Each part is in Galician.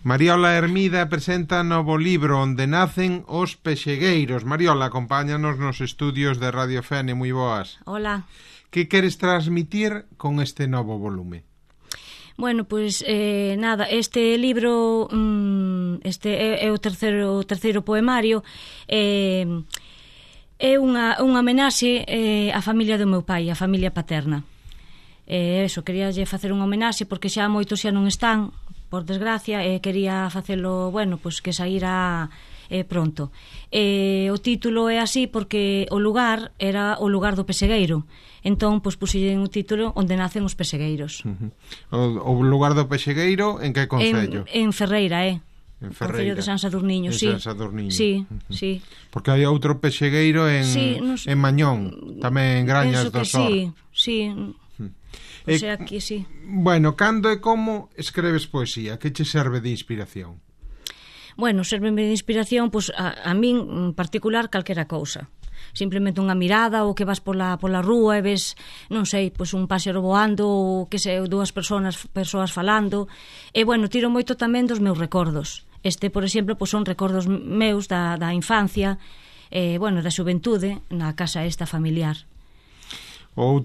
Mariola Hermida presenta novo libro Onde nacen os pexegueiros. Mariola, acompáñanos nos estudios de Radio Fene, moi boas. Hola. Que queres transmitir con este novo volume? Bueno, pois nada, este libro este é o terceiro poemario, é unha homenaxe á familia do meu pai, a familia paterna. Queríalle facer unha homenaxe porque xa moitos xa non están, por desgracia, e quería facelo, pois que saíra pronto. O título é así porque o lugar era o lugar do pexegueiro. Entón, pois pusille un título Onde nacen os pexegueiros. O lugar do pexegueiro en que concello? En Ferreira, En Ferreira. Concello de San Sadurniño, sí. San Sadurniño. Sí, sí. Porque hai outro pexegueiro en Mañón, tamén en Grañas do Sor. Sí. O sea, aquí sí. Bueno, cando e como escreves poesía? Que che serve de inspiración? Bueno, serve de inspiración, pois a min en particular calquera cousa. Simplemente unha mirada, ou que vas pola rúa e ves, non sei, pois un páxaro voando, ou que sei, dúas persoas falando. E tiro moito tamén dos meus recordos. Por exemplo, pois son recordos meus da infancia, da xuventude na casa esta familiar. O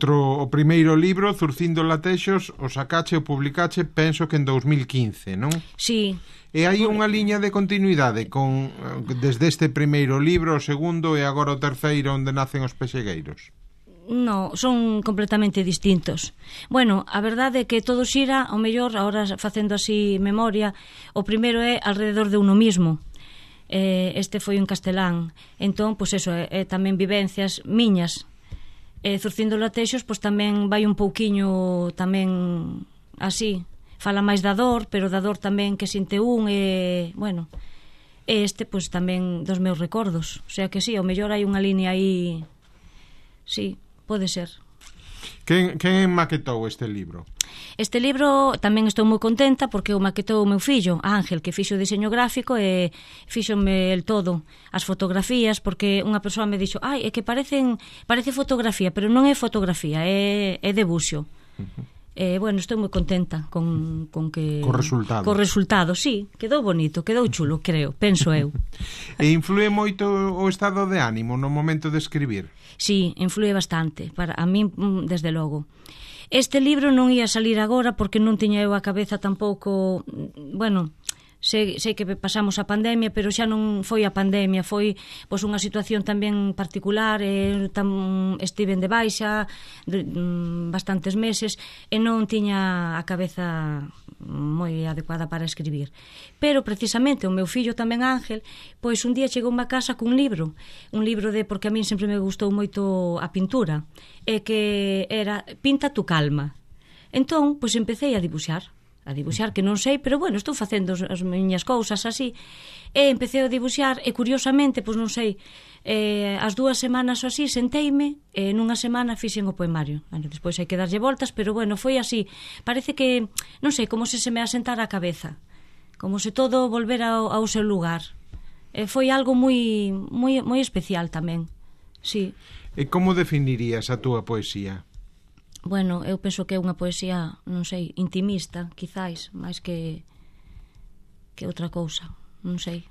primeiro libro, Zurcindo Latexos, o sacache o publicache, penso que en 2015, non? Sí. E hai unha liña de continuidade desde este primeiro libro, o segundo e agora o terceiro, Onde nacen os pexegueiros? No, son completamente distintos. A verdade é que todo xira, ao mellor, agora facendo así memoria, o primeiro é alrededor de uno mismo. Este foi en castelán. Entón, pois eso, é tamén vivencias miñas. Zurcindo Latexos, pois tamén vai un pouquiño tamén así, fala máis da dor, pero da dor tamén que sinte este pois tamén dos meus recordos. O sea que sí, ao mellor hai unha línea aí. Sí, pode ser. Quen maquetou este libro? Este libro tamén estou moi contenta porque o maquetou o meu fillo, Ángel, que fixo o diseño gráfico e fíxome el todo, as fotografías, porque unha persoa me dixo, é que parece fotografía, pero non é fotografía, é debuxo. Estou moi contenta con resultado. Co resultado, sí, quedou bonito, quedou chulo, penso eu. E influe moito o estado de ánimo no momento de escribir? Sí, influe bastante, a min desde logo. Este libro non ia salir agora porque non tiña eu a cabeza tampouco, sei que pasamos a pandemia, pero xa non foi a pandemia, foi pois unha situación tamén particular, estiven de baixa bastantes meses e non tiña a cabeza moi adecuada para escribir. Pero precisamente o meu fillo tamén Ángel, pois un día chegou a casa cun libro, porque a min sempre me gustou moito a pintura, e que era Pinta tu calma. Entón, pois empecé a dibuxar, que non sei, pero estou facendo as miñas cousas así, e empecé a dibuxar, e curiosamente, pois non sei, as 2 semanas ou así, senteime, e nunha semana fixen o poemario. Despois hai que darlle voltas, pero foi así, parece que, non sei, como se me asentara a cabeza, como se todo volvera ao seu lugar. Foi algo moi especial tamén, sí. E como definirías a túa poesía? Eu penso que é unha poesía, non sei, intimista, quizáis, máis que outra cousa, non sei.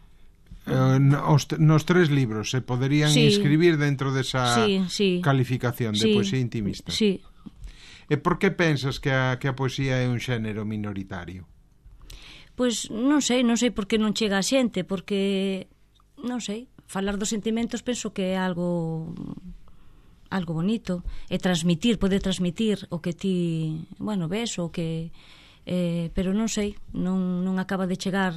Nos 3 libros se poderían inscribir dentro desa calificación de poesía intimista. Sí. E por que pensas que a poesía é un xénero minoritario? Pois non sei por que non chega a xente, porque, non sei, falar dos sentimentos penso que é algo bonito, e poder transmitir o que ti, ves, o que pero non sei, non acaba de chegar.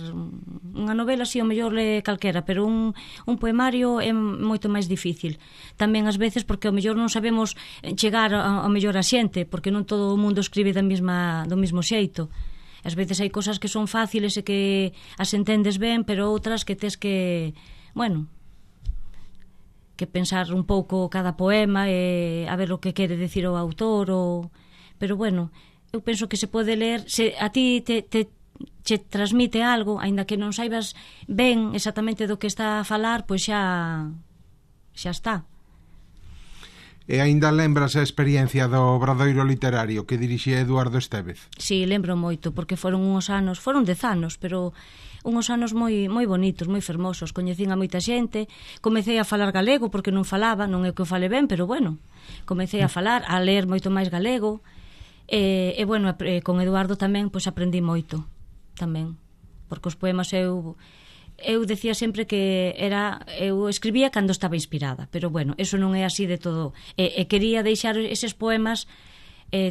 Unha novela si ao mellor le calquera, pero un poemario é moito máis difícil. Tamén ás veces porque ao mellor non sabemos chegar ao mellor a xente, porque non todo o mundo escribe do mesmo xeito. Ás veces hai cosas que son fáciles e que as entendes ben, pero outras que tes que pensar un pouco cada poema e a ver o que quere decir o autor, pero eu penso que se pode ler, se a ti te transmite algo, aínda que non saibas ben exactamente do que está a falar, pois xa está. E aínda lembras a experiencia do Obradoiro Literario que dirixía Eduardo Estévez? Sí, lembro moito, porque foron 10 anos, pero unhos anos moi bonitos, moi fermosos. Coñecín a moita xente, comecei a falar galego porque non falaba, non é que o fale ben, pero bueno, comecei a falar, a ler moito máis galego. E bueno, con Eduardo tamén pois aprendí moito tamén, porque os poemas eu decía sempre que eu escribía cando estaba inspirada, pero bueno, eso non é así de todo, e quería deixar eses poemas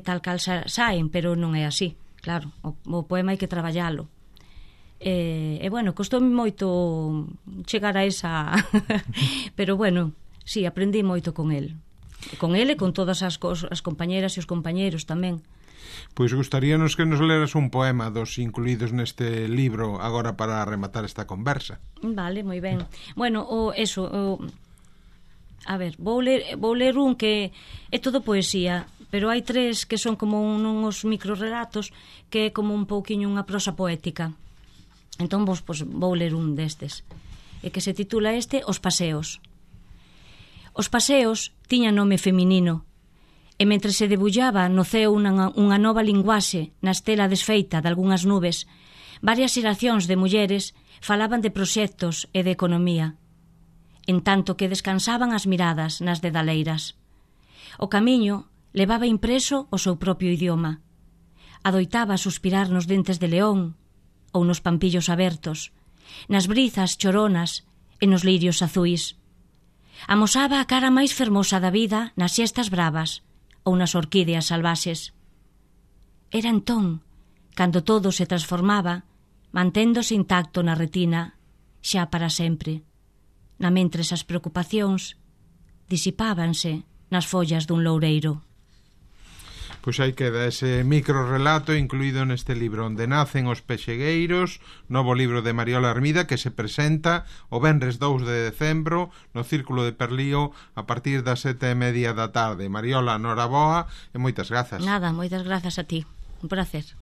tal cal saen, pero non é así, claro, o poema hai que traballalo. E bueno, costoume moito chegar a esa pero bueno, sí, aprendí moito con el e con todas as compañeras e os compañeros tamén. Pois gustaríanos que nos leras un poema dos incluídos neste libro agora para rematar esta conversa. Vale, moi ben. Bueno, a ver, vou ler un que é todo poesía, pero hai 3 que son como uns microrelatos que é como un pouquiño unha prosa poética. Entón vou ler un destes, e que se titula Os paseos. Os paseos tiñan nome feminino, e mentre se debullaba no ceo unha nova linguaxe na estela desfeita de algunhas nubes, varias xeracións de mulleres falaban de proxectos e de economía, en tanto que descansaban as miradas nas dedaleiras. O camiño levaba impreso o seu propio idioma. Adoitaba suspirar nos dentes de león ou nos pampillos abertos, nas brizas choronas e nos lirios azuis. Amosaba a cara máis fermosa da vida nas xestas bravas ou nas orquídeas salvaxes. Era entón cando todo se transformaba, manténdose intacto na retina, xa para sempre, na mentres as preocupacións disipábanse nas follas dun loureiro. Pois aí queda ese microrelato incluído neste libro Onde nacen os pexegueiros, novo libro de Mariola Armida que se presenta o venres 2 de decembro no Círculo de Perlío a partir das 7:30 da tarde. Mariola, noraboa e moitas grazas. Nada, moitas grazas a ti. Un placer.